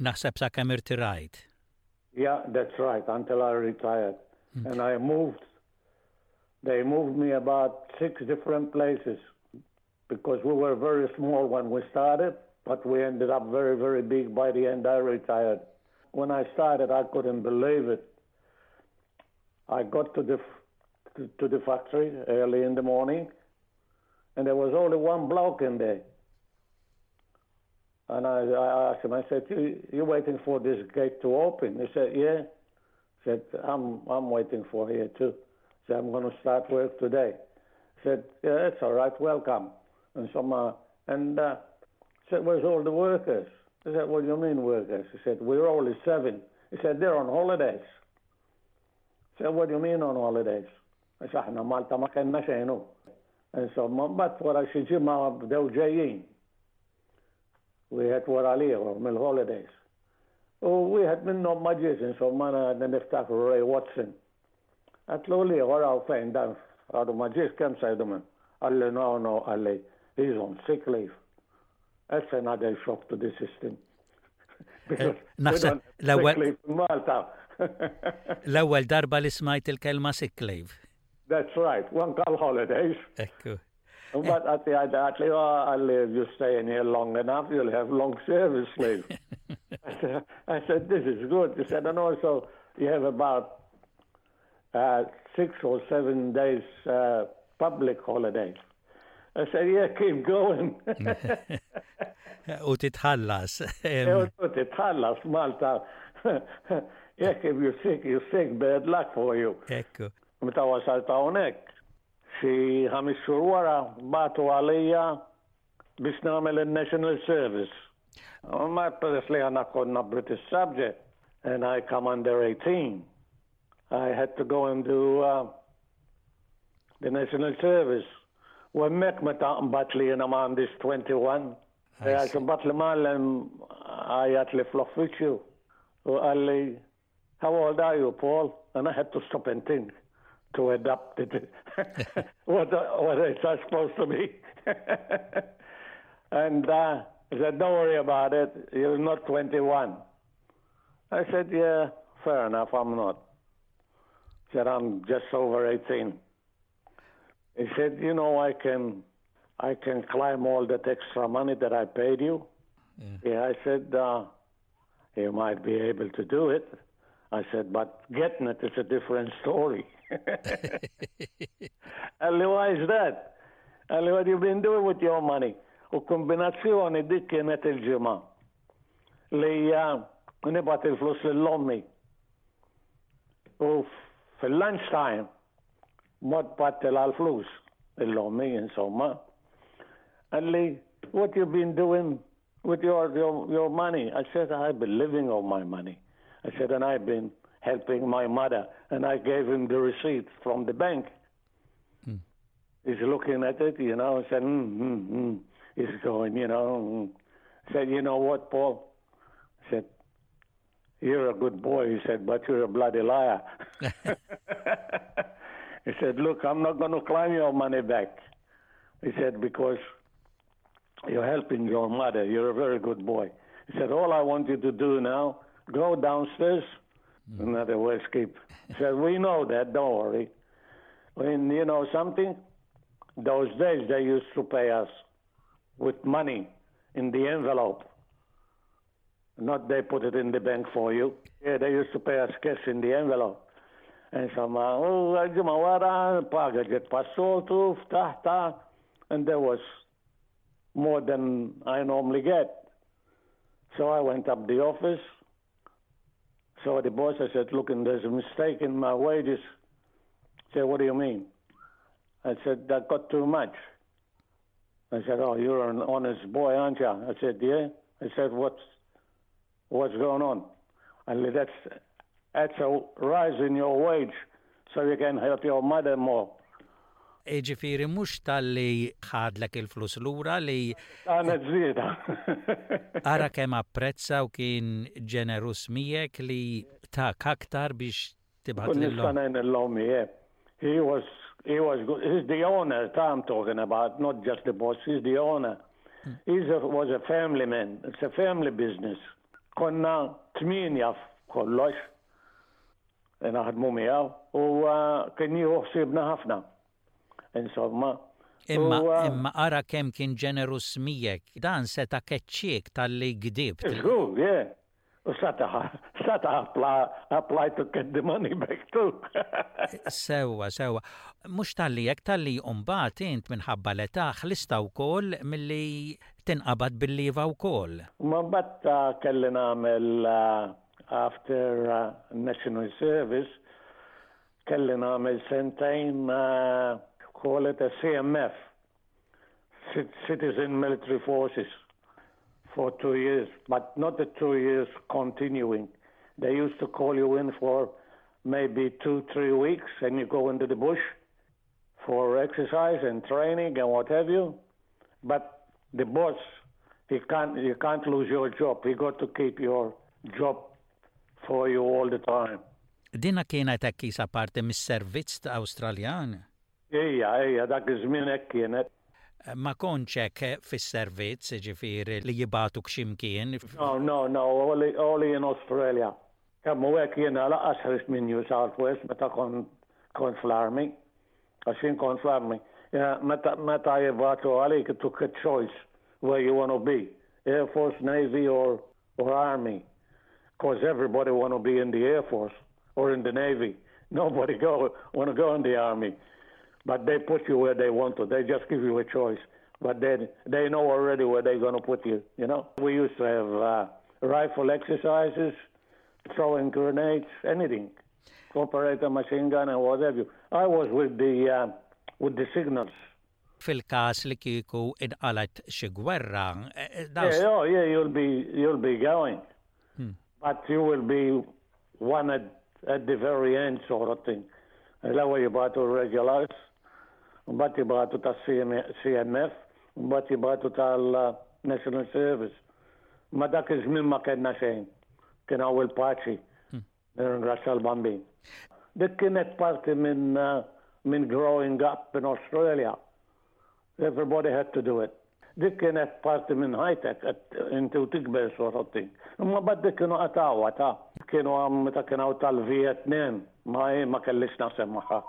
Naħseb sa kemm irtirajt. Yeah, that's right, until I retired. Mm. And I moved, they moved me about six different places because we were very small when we started, but we ended up very, very big by the end I retired. When I started, I couldn't believe it. I got to the, to, to the factory early in the morning, and there was only one bloke in there. And I, I asked him, I said, you, you're waiting for this gate to open? He said, yeah. I said, I'm, I'm waiting for here too. I said, I'm gonna start work today. I said, yeah, that's all right, welcome. And so, uh, and, uh, said, where's all the workers? I said, what do you mean workers? He said, we're only seven. He said, they're on holidays. I said, what do you mean on holidays? I said, aħna Malta ma kellna xejn. And so, mbagħad wara xi ġimgħa bdew ġejjin. Wieħed wara l-ieħor mill-holidays. U wieħed minnhom ma ġiex, insomma, għadna niftakru Ray Watson. Għedtlu l-ieħor hawn fejn dan għadu ma ġiex kemm se jdum hemm? Qalli, no, no, qalli, he's on sick leave. That's another shock to the system. Because Naħseb l-ewwel Malta. L-ewwel darba li smajt il-kelma sick leave. That's right, one call holidays. Ekku. But at the end, at the end, if you stay in here long enough, you'll have long service leave. I said, I said, this is good. He said, and also you have about, uh, six or seven days, uh, public holidays. I said, yeah, keep going. U titħallas. U titħallas, Malta. Yeah, if you're sick, you're sick, bad luck for you. Ekku. Meta wasalt hawnhekk, xi ħames xhur wara bagħtu għalija biex nagħmel il-National Service. Ma peress li aħna konna British subject and I come under eighteen, I had to go and do, uh, the National Service. U hemmhekk meta mbagħad li jiena ma għandix twenty-one, għax mbagħad l-imgħallem għajjat li fl-uffiċċju u qalli, how old are you, Paul? And I had to stop and think to adapt it. what, what is that supposed to be? And, uh, he said, don't worry about it, you're not twenty-one. I said, yeah, fair enough, I'm not. He said, I'm just over eighteen. He said, you know, I can, I can claim all that extra money that I paid you. Yeah, yeah I said, uh, you might be able to do it. I said, but getting it is a different story. Qalli, why is that? Qalli, what you been doing with your money? U kombinazzjoni dik kienet il-ġimgħa li uh, nibgħat il-flus lil ommi. U fil-lunch time, mort bgħattilha l-flus, lil ommi, insomma. Qalli, what you been doing with your, your, your money? I said, I've been living on my money. I said, and I've been helping my mother. And I gave him the receipt from the bank. Mm. He's looking at it, you know, and said, mm, mm, mm. He's going, you know. Mm. I said, you know what, Paul? I said, you're a good boy. He said, but you're a bloody liar. He said, look, I'm not going to claim your money back. He said, because you're helping your mother. You're a very good boy. He said, all I want you to do now, go downstairs. Mm. Another words, keep. He said, we know that, don't worry. When you know something, those days they used to pay us with money in the envelope. Not they put it in the bank for you. Yeah, they used to pay us cash in the envelope. Insomma, u ġimgħa wara, paga ġiet bħas-soltu, ftaħtha, and there was more than I normally get. So I went up the office, saw the boss, I said, look, and there's a mistake in my wages. He said, what do you mean? I said, I got too much. I said, oh, you're an honest boy, aren't you? I said, yeah. I said, what's, what's going on? And that's, that's a rise in your wage so you can help your mother more. Ġifieri mhux talli ħadlek il-flus lura li. Għana żieda. Ara kemm apprezza u kien ġeneruż miegħek li tak aktar biex tibgħat lil ommi, yeah. He was, he was good. He's the owner I'm talking about, not just the boss. He's the owner. Hmm. He was a family man. It's a family business. Konna tmienja kollox naħdmu miegħu u uh, kien jieħu ħsiebna ħafna. Insomma. Imma uh, imma ara kemm kien ġeneruż miegħek, dan seta' keċċiek talli gdibt. Żgur, yeah. U seta' seta' apply, apply to get the money back too. Sewwa, sewwa. Mhux talli hekk talli mbagħad int minħabba l-età ħlista wkoll milli tinqabad bil-lieva wkoll. Ma mbagħad uh, kelli nagħmel uh, after uh, National Service kelli nagħmel sentejn uh, call it a C M F, Citizen Military Forces, for two years, but not the two years continuing. They used to call you in for maybe two, three weeks, and you go into the bush for exercise and training and what have you. But the boss, he can't, you can't lose your job. He got to keep your job for you all the time. Dina kienet hekk qisha parti mis-servizz ta' Awstraljan. Ija, ija, dak iż-żmien hekk kienet. Ma kontx hekk fis-servizz, ġifieri li jibagħtuk x'imkien. No, no, no, only, only in Australia. Kemm hu hekk jiena lanqas ħriġt minn New South Wales meta kont kont fl-army. Għax jien kont fl-army. Meta meta jibagħtu għalik, you took a choice where you want to be. Air Force, Navy or, or Army. Because everybody want to be in the Air Force or in the Navy. Nobody go want to go in the Army. But they put you where they want to. They just give you a choice. But then they know already where they're going to put you, you know. We used to have uh, rifle exercises, throwing grenades, anything. Operate a machine gun and whatever. You. I was with the, uh, with the signals. Fil-kas li kieku inqalat xi gwerra. Eh, yeah, oh, yeah, you'll be, you'll be going. Hmm. But you will be one at, at the very end sort of thing. L-ewwel jibagħtu regulars, mbagħad jibagħtu tas-C M F, mbagħad jibagħtu tal-National Service. Ma dak iż-żmien ma kellna xejn. Kien hawn il-paċi. Hmm. Nirringrazzja l-Bambin. Dik kienet parti minn uh, minn growing up in Australia. Everybody had to do it. Dik kienet parti minn ħajtek inti u tikber sort of thing. Imma mbagħad dik kienu qatgħuha ta' Kienu għam meta kien hawn tal-Vietnam, ma ma kellix naħseb magħha.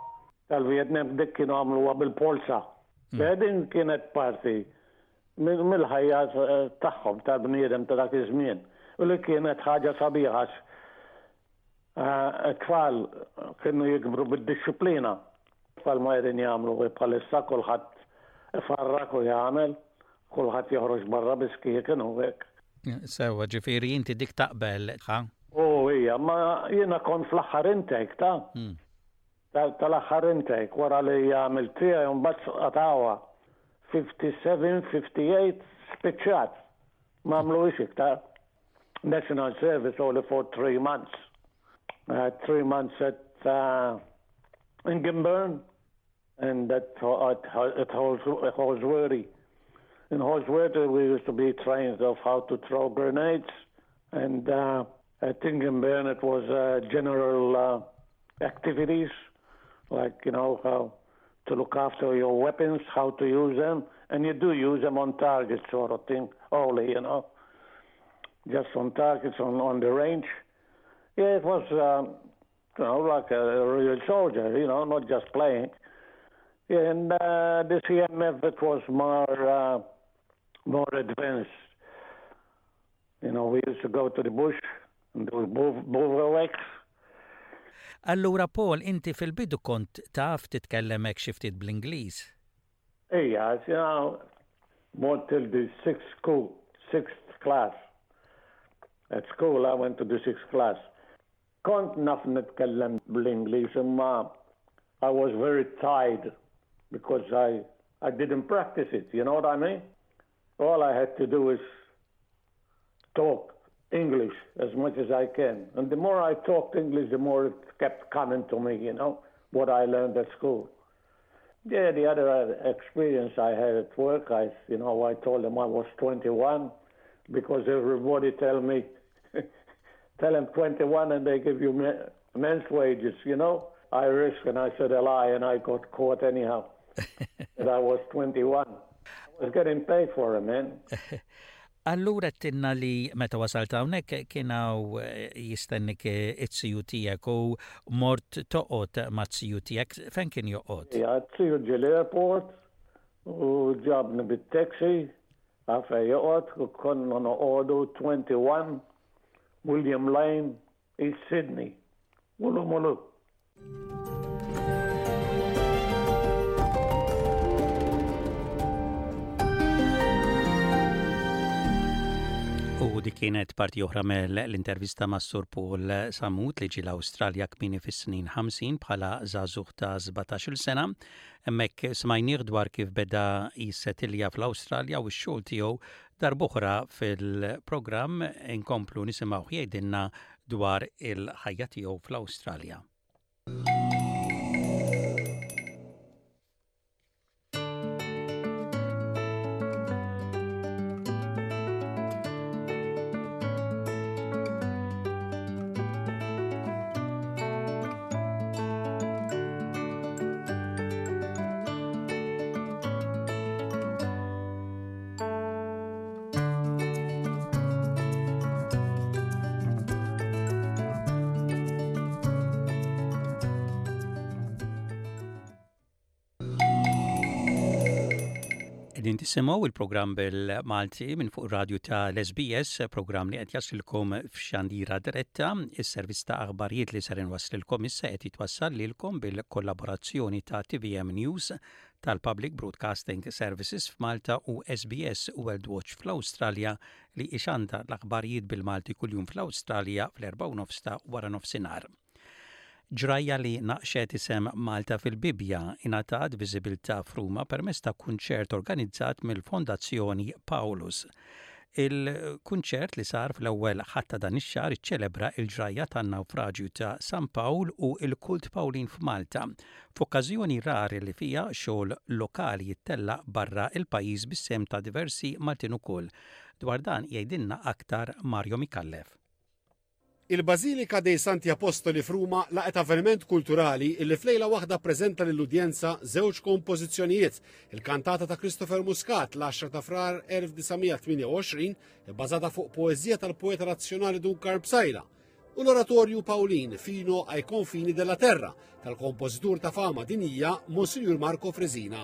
Tal-Vietnam dik kienu għamluha bil-polza. Mm. Din kienet parti mill-ħajja tagħhom tal-bniedem ta' dak iż-żmien. U li kienet ħaġa sabiħa t-tfal kienu jikbru bid-disciplina. Tfal ma qegħdin jagħmlu bħalissa kulħadd ifarrak u jagħmel, kulħadd joħroġ barra biskieken u hekk. Sewa, ġifieri inti dik taqbel, ha? U hija, ma jiena kont fl-aħħar intake ta' hmm. tal-aħħar intake wara li għamilt tiegħi mbagħad qatgħuha. fifty-seven, fifty-eight spiċċat. Ma għamluhiex iktar. National Service only for three months. Uh, three months at uh, Ingenburn and at, at, at Holsworthy. In Holsworthy we used to be trained of how to throw grenades, and uh, at Ingenburn it was uh, general uh, activities, like, you know, how to look after your weapons, how to use them, and you do use them on target sort of thing only, you know, just on targets on, on the range. Yeah, it was, um, you know, like a, a real soldier, you know, not just playing. Yeah, and uh, the C M F, it was more, uh, more advanced. You know, we used to go to the bush and do bivouacs. Allura, Paul, inti fil-bidu kont taf titkellem hekk xi ftit bl-Ingliż? Ejja, you know, more till the sixth school, sixth class. At school, I went to the sixth class. Kont naf nitkellem bl-Ingliż, imma I was very tired because I, I didn't practice it, you know what I mean? All I had to do is talk English as much as I can. And the more I talked English, the more it kept coming to me, you know, what I learned at school. Yeah, the other experience I had at work, I, you know, I told them I was twenty-one because everybody tell me, tell them twenty-one and they give you men's wages, you know. I risked and I said a lie and I got caught anyhow. That I was twenty-one. I was getting paid for it, man. Allura tinna li meta wasalt hawnhekk kien hawn jistennik it-siju tiegħek u mort toqgħod mat-siju tiegħek, fejn kien joqgħod? Ja, t-siju ġie l-airport u ġabni bit-taxi għalfejn joqgħod u konna noqogħdu twenty-one William Lane, East Sydney. Mulu mulu. U dik kienet parti oħra mill-intervista ma' Sur Paul Sammut li ġie l-Awstralja kmieni fis-snin ħamsin bħala żagħżugħ ta' sbatax-il sena. Hemmhekk smajnieh dwar kif beda jissetilja fl-Awstralja u x-xogħol tiegħu. Darb'oħra fil-programm inkomplu nisimgħu jgħidilna dwar il-ħajja tiegħu fl-Awstralja. Qegħdin tisimgħu il-programm bil-Malti minn fuq radju ta' l-S B S, programm li qed jaslilkom f'xandira diretta. Is-servizz ta' aħbarijiet li ser inwasslilkom issa qed jitwassal lilkom bil-kollaborazzjoni ta' T V M News tal-Public Broadcasting Services f'Malta u S B S World Watch fl-Awstralja li ixanda l-aħbarijiet bil-Malti kuljum fl-Awstralja fl-erbgħa u nofs ta' wara nofsinhar. Ġrajja li naqxet isem Malta fil-Bibja ingħatat viżibilità f'Ruma permezz ta' kunċert organizzat mill-Fondazzjoni Paulus. Il-kunċert li sar fl-ewwel Ħadd ta' dan ix-xahar iċċelebra l-ġrajja tan-nawfraġju ta' San Pawl u l-kult Pawlin f'Malta, f'okkażjoni rari li fiha xogħol lokali jittellaq barra il-pajjiż bis-sem ta' diversi Maltin ukoll. Dwar dan jgħidilna aktar Mario Micallef. Il-Bażilika dei Santi Apostoli f'Ruma laqgħet avveniment kulturali illi f'lejla waħda ppreżenta lill-udjenza żewġ kompożizzjonijiet, il-kantata ta' Christopher Muscat l-għaxra ta' Frar elf disa' mija tmienja u għoxrin, ibbażata fuq poeżija tal-poeta nazzjonali Dun Karm Psaila, u l-Oratorju Paulin Fino ai confini della terra tal-kompożitur ta' fama dinija Monsignor Marco Fresina.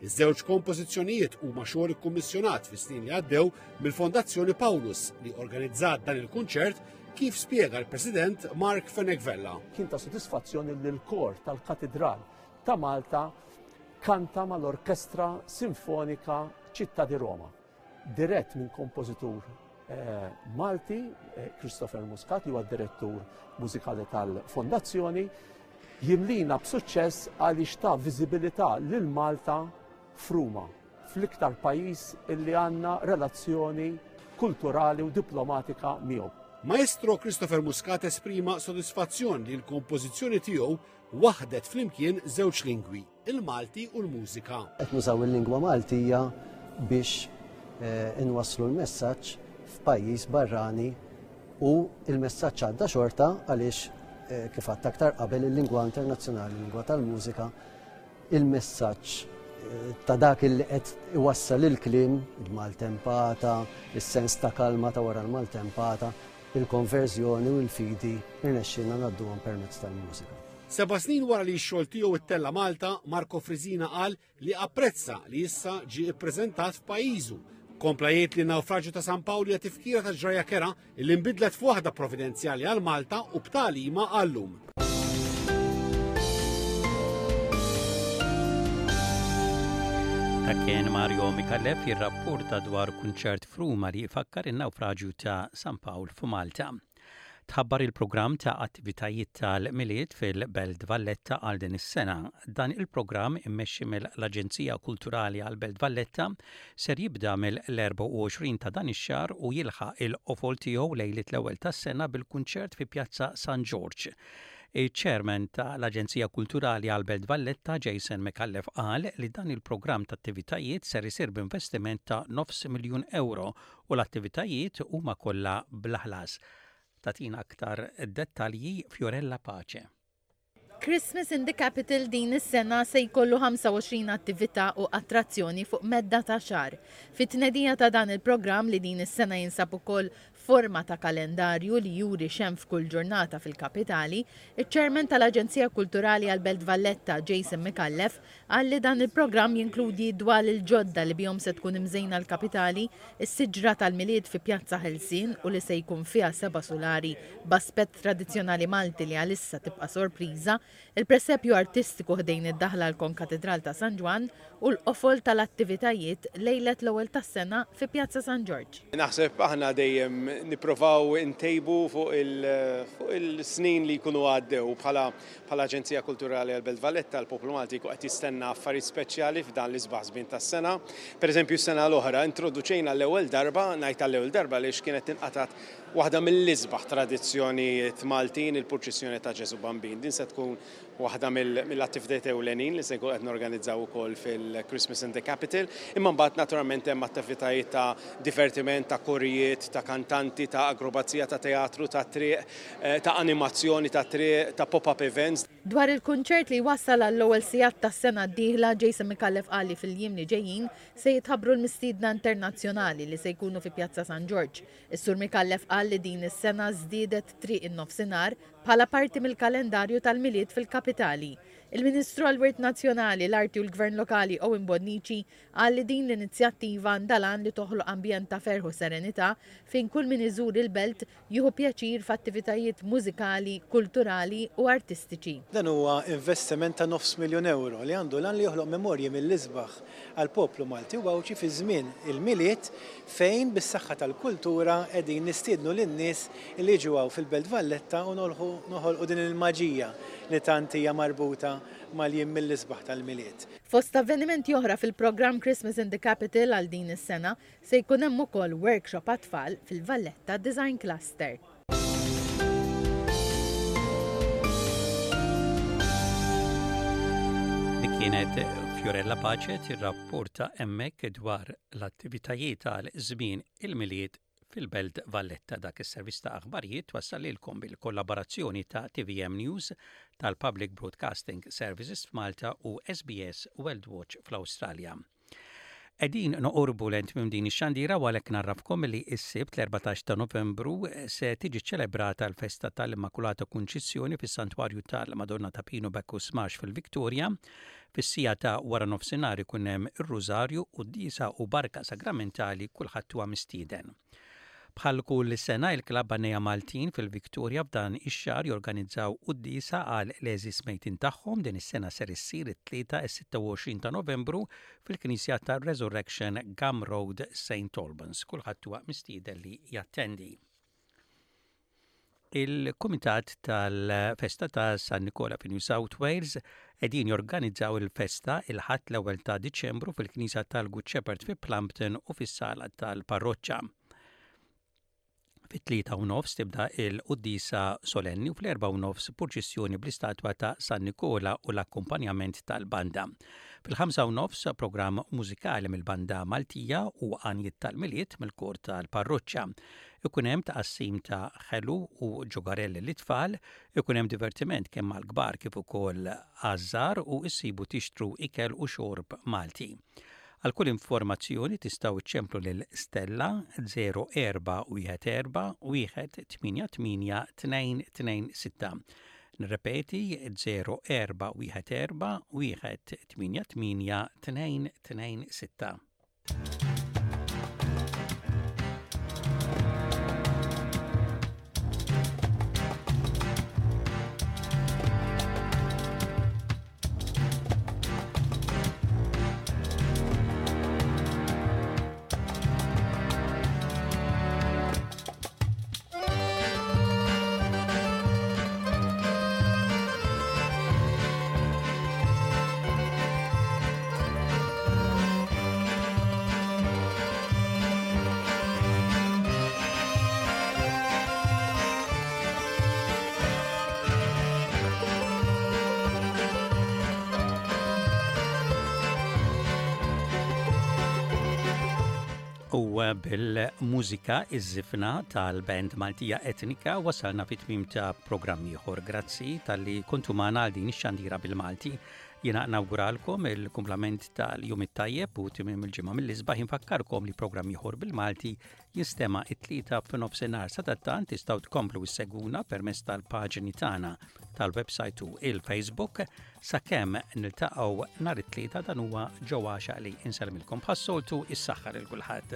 Iż-żewġ kompożizzjonijiet huma xogħol ikkummissjonat fis-snin li għaddew mill-Fondazzjoni Paulus li organizzat dan il-kunċert kif spjega l-President Mark Fenech Vella. Kien ta' sodisfazzjoni li l-kor tal-Katidral ta' Malta kanta mal-Orkestra Sinfonika Ċittà di Roma, dirett minn kompożitur eh, Malti, eh, Christopher Muscat, li huwa direttur mużikali tal-Fondazzjoni, jimlina b'suċċess għaliex ta viżibilità lil Malta f'Ruma, fl-iktar pajjiż illi għandna relazzjoni kulturali u diplomatika miegħu. Maestro Christopher Muscat esprima sodisfazzjon li l-kompożizzjoni tiegħu waħdet flimkien żewġ lingwi, il-Malti u l-mużika. Qed nużaw il-lingwa Maltija biex eh, inwasslu l-messaġġ f'pajjiż barrani u il-messaġġ għadda xorta għaliex eh, kif għadt aktar qabel il-lingwa internazzjonali, il-lingwa tal-mużika, il-messaġġ eh, ta' dak li qed iwassal il-kliem, il-maltempata, is-sens ta' kalma ta' wara l-maltempata, il-konverżjoni u l-fidi irnexxilna ngħadduhom permezz tal-mużika. Seba' snin wara li x-xogħol tiegħu ittella' Malta, Marco Frisina qal li apprezza li issa ġie ippreżentat f'pajjiżu. Kompla jgħid li nawfraġju ta' San Pawl hija tifkira ta' ġrajja kerha li nbidlet f'waħda providenzjali għal Malta u b'tagħlima għallum. Dak kien Mario Micallef jirrapporta dwar kunċert f'Ruma li jfakkar in-nawfraġju ta' San Pawl f'Malta. Tħabbar il-programm ta' attivitajiet tal-Milied fil-Belt Valletta għal din is-sena. Dan il-programm immexxi mill-Aġenzija Kulturali għal Belt Valletta ser jibda mill-erbgħa u għoxrin ta' dan ix-xahar u jilħaq il-qofol tiegħu lejliet l-ewwel tas-sena bil-kunċert fi Pjazza San George. Il-chairman tal-Aġenzija Kulturali għal Belt Valletta Jason Micallef qal li dan il-programm ta' attivitajiet ser isir b'investiment ta' nofs miljun euro u l-attivitajiet huma kollha bla ħlas. Tagħtina aktar dettalji Fiorella Pace. Christmas in the Capital din is-sena se jkollu ħamsa u għoxrin attività u attrazzjoni fuq medda ta' xahar. Fit-tnedija ta' dan il-programm, li din is-sena jinsab ukoll forma ta' kalendarju li juri x'hemm f'kull ġurnata fil-kapitali, iċ-Chairman tal-Aġenzija Kulturali għal-Belt Valletta Jason Micallef qal li dan il-programm jinkludi dwal il-ġodda li bihom se tkun imżejna l-kapitali, is-siġra tal-Milied fi Pjazza Ħelsien u li se jkun fiha seba' sulari b'aspett tradizzjonali Malti li għalissa tibqa' sorpriża, il-presepju artistiku ħdejn id-daħla l-Konkatedral ta' San Ġwann u l-qofol tal-attivitajiet lejlet l-ewwel tas-sena fi Pjazza San Ġorġ. Naħseb aħna dejjem nipprovaw intejbu fuq il-snin li jkunu għaddew. bħala bħala Aġenzija Kulturali għal Belt Valletta, l-poplu Malti qed jistenna affarijiet speċjali f'dan l-isbaħ żmien tas-sena. Pereżempju, s-sena l-oħra introduċejna l-ewwel darba, ngħid l-ewwel darba għaliex kienet inqatat, waħda mill-isbaħ tradizzjonijiet Maltin, il-purċissjoni ta' Ġesu Bambin. Din se tkun waħda mill-attivitajiet ewlenin li se nkun qed norganizzaw ukoll fil-Christmas in the Capital. Imma mbagħad naturalment hemm attivitajiet ta' divertiment, ta' korijiet, ta' kantanti, ta' akrobazija, ta' teatru, ta' triq, eh, ta' animazzjoni ta' triq, ta' pop-up events. Dwar il-kunċert li wassal għall-ewwel sigħat tas-sena d-dieħla, Jason Micallef qal li fil-jiem li ġejjin se jitħabbru l-mistiedna internazzjonali li se jkunu fi Pjazza San Ġorġ. Is-Sur Micallef qal li din is-sena żdiedet Triq in-Nofsinhar bħala parti mill-kalendarju tal-Milied fil-kapitali. Il-Ministru għal-Wirt Nazzjonali, l-Arti u l-Gvern Lokali Owen Bonnici qal li din l-inizjattiva għandha l-għan li toħloq ambjent ta' ferħ u serenità fejn kull min iżur il-belt jieħu pjaċir f'attivitajiet mużikali, kulturali u artistiċi. Dan huwa investiment ta' nofs miljon euro li għandu l-għan li joħloq memorji mill-isbaħ għal poplu Malti u Għawdxi fi żmien il-Milied, fejn bis-saħħa tal-kultura qegħdin nistiednu lin-nies li jiġu fil-Belt Valletta u noħolqu din il-maġija li tant hija marbuta mal-jiem mill-isbaħ tal-Milied. Fost avvenimenti oħra fil-programm Christmas in the Capital għal din is-sena se jkun hemm ukoll workshop għat-tfal fil-Valletta Design Cluster. Dik kienet Fiorella Pace tirrapporta hemmhekk dwar l-attivitajiet għal żmien il-Milied fil-Belt Valletta. Dak is-servizz ta' aħbarijiet wassal lilkom bil-kollaborazzjoni ta' T V M News tal-Public Broadcasting Services f'Malta u S B S World Watch fl-Awstralja. Qegħdin noqorbu lejn tmiem din ix-xandira u għalhekk ngħarrafkom li s-Sibt l-erbatax ta' Novembru se tiġi ċelebrata l-festa tal-Immakulata Kunċizzjoni fis-Santwarju tal-Madonna ta' Pinu Bacchus Marsh fil-Victoria. Fis-siegħa ta' wara nofsinhar ikun hemm ir-Rużarju, quddiesa u barka sagramentali kulħadd huwa mistieden. Bħal kull sena il-Klabb Għannejja Maltin fil-Victoria f'dan ix-xahar jorganizzaw quddiesa għal l-għeżież mejtin tagħhom din is-sena ser issir it-Tlieta is-sitta u għoxrin ta' Novembru fil-Knisja tar-Resurrection Gum Road Saint Albans. Kulħadd huwa mistieden li jattendi. Il-Kumitat tal-Festa ta' San Nikola fi New South Wales qegħdin jorganizzaw il-festa il-Ħadd l-ewwel ta' Diċembru fil-Knisja tal-Good Shepherd fi Plumpton u fis-sala tal-parroċċa. Fit-tlieta u nofs tibda il-quddiesa solenni u fl-erbgħa u nofs purċissjoni bl-istatwa ta' San Nikola u l-akkumpanjament tal-banda. Fil-ħamsa u nofs programm mużikali mill-banda Maltija u għanjiet tal-Milied mill-kor tal-parroċċa. Ikun hemm tqassim ta' ħelu u ġugarelli lit-tfal, ikun hemm divertiment kemm għall-kbar kif ukoll għaż-żgħar u issibu tixtru ikel u xorb Malti. Għal kull informazzjoni tistgħu iċċemplu lil Stella zero erba' wieħed erba' wieħed tmienja tmienja tnejn tnejn sitta. Nirrepeti zero erba' wieħed erba' wieħed tmienja tmienja tnejn tnejn sitta. U bil-mużika iż-żifna tal-band Maltija Etnika wasalna fit tmiem ta' programm ieħor. Grazzi talli kontu magħna għal din ix-xandira bil-Malti. Jiena nawguralkom il-kumplament tal-jum it-tajjeb u tmiem il-ġimgħa mill-isbaħ. Infakkarkom li programm ieħor bil-Malti jinstema' it-Tlieta f'nofsinhar. Sadattant tistgħu tkomplu issegwuna permezz tal-paġni tagħna tal-website u il-Facebook. Sakemm niltaqgħu nhar it-Tlieta dan huwa Joe Għaxaq li insellmilkom bħas-soltu is-saħħa lil kulħadd.